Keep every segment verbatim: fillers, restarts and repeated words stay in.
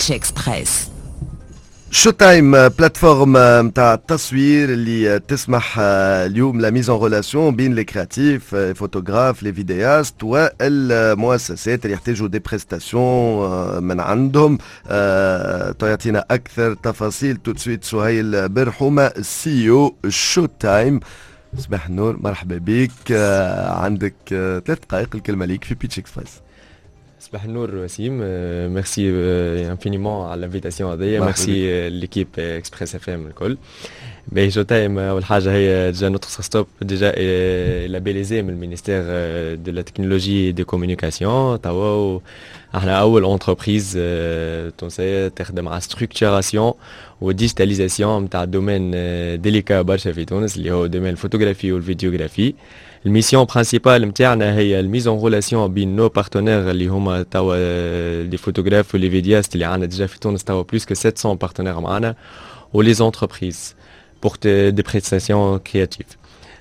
Pitch Express. Showtime، plateforme نتاع التصوير اللي تسمح اليوم la mise en relation بين les créatifs، photographes، les vidéastes والمؤسسات اللي يحتاجوا des prestations من عندهم. تعطينا اكثر تفاصيل tout de suite سهيل برحومه، CEO Showtime. صباح النور، مرحبا بك، عندك ثلاث دقائق، الكلمة ليك في Pitch Express. صباح النور وسيم، merci infiniment على l'invitation هذيا، merci l'équipe Express FM الكل. باهي، Showtime اول حاجة هي déjà notre startup déjà labellisée من ال ministère de la technologie des communications. توا احنا اول entreprise تونسية تخدم على structuration و digitalisation نتاع domaine délicat برشا في تونس، اللي هو domaine ال photographie وال vidéographie. ال mission principale نتاعنا هي ال mise en relation بين nos partenaires، اللي هما توا les photographes و les vidéastes اللي عندنا déjà في تونس توا plus que sept cents partenaires معانا، و les entreprises pour des prestations créatives.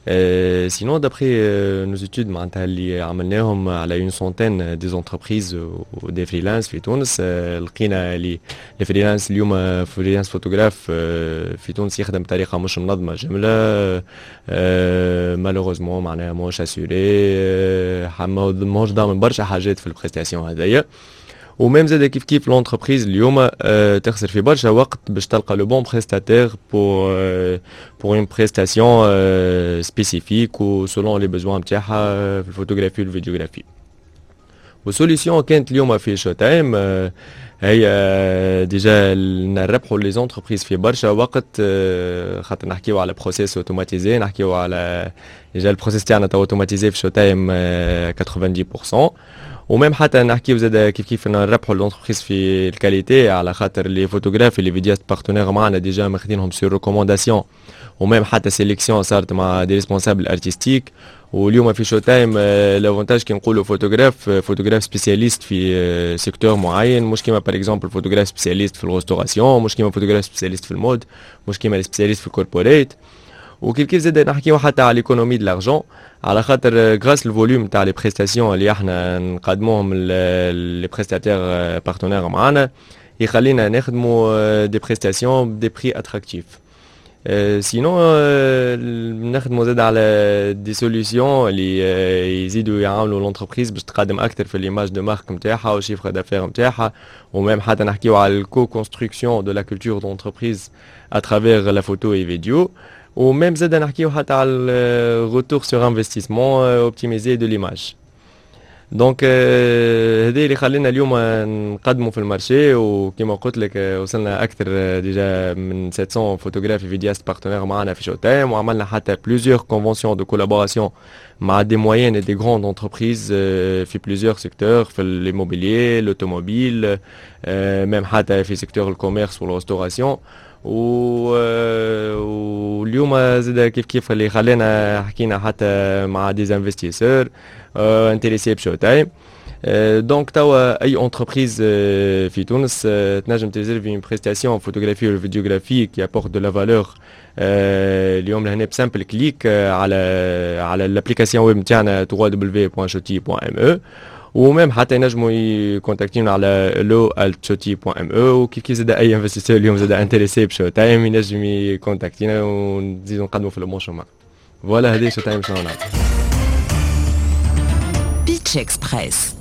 Euh, sinon, d'après euh, nos études معناتها اللي عملناهم على une centaine des entreprises و des freelances في تونس، لقينا اللي les freelances اليوم، freelance photographe في تونس يخدم بطريقة مش منظمة جمله، malheureusement معناها ماهوش assuré، ماهوش ضامن برشا حاجات في ال prestation هذيا. و même زاد كيف كيف l'entreprise اليوم تخسر في برشا وقت باش تلقى le bon prestataire pour pour une prestation spécifique و selon les besoins نتاعها في ال photographie وال vidéographie. وال solution كانت اليوم في Showtime هي déjà نربحوا les entreprises في برشا وقت، خاطر نحكيو على processus automatisé، نحكيو على déjà ال processus تاعنا تو automatisé في Showtime quatre-vingt-dix pour cent. و même حتى نحكيو زاد كيف كيف نربحوا l'entreprise في ال qualité، على خاطر les photographes، les vidéastes partenaires معنا déjà ماخذينهم sur recommandation و même حتى sélection صارت مع des responsables artistiques. واليوم في Showtime l'avantage كي نقولوا photographe، photographe spécialiste في secteur معين، مش كيما par exemple photographe spécialiste في ال restauration، مش كيما photographe spécialiste في ال mode، مش كيما spécialiste في ال corporate. وكيف كيف زاد نحكيو حتى على l'économie de l'argent، على خاطر grâce ال volume تاع les prestations اللي احنا نقدموهم les prestataires partenaires معانا، يخلينا نخدموا des prestations ب des prix attractifs. sinon نخدموا زاد على des solutions اللي يزيدوا يعاونوا l'entreprise باش تقدم اكثر في l'image de marque نتاعها وال chiffre d'affaires نتاعها. و même حتى نحكيو على ال co-construction de la culture d'entreprise à travers la photo et vidéo. و même زاد نحكيو حتى على ال retour sur investissement optimisé de l'image. donc هذا اللي خلينا اليوم نقدموا في ال marché. وكما قلت لك وصلنا اكثر déjà من sept cents photographes، vidéastes partenaires معنا في Showtime، وعملنا حتى plusieurs conventions de collaboration مع des moyennes des grandes entreprises في plusieurs secteurs، في l'immobilier، l'automobile، même حتى في secteur ال commerce وال restauration. و واليوم زاد كيف كيف اللي خلينا حكينا حتى مع des investisseurs intéressés ب Showtime. donc توا اي entreprise في تونس تنجم تريزيرفي une prestation photographie ولا vidéographie qui apporte de la valeur اليوم لهنا ب simple clic على على l'application web نتاعنا w w w point shoti point m e، و même حتى ينجموا يكونتاكتيونا على hello at shoti point m e. وكيف كيف زاد اي investisseur اليوم زاد intéressé ب Showtime ينجم يكونتاكتينا ونزيدو نقدموا في le bon chemin. voilà، هذه Showtime شنو نعمل. Pitch Express.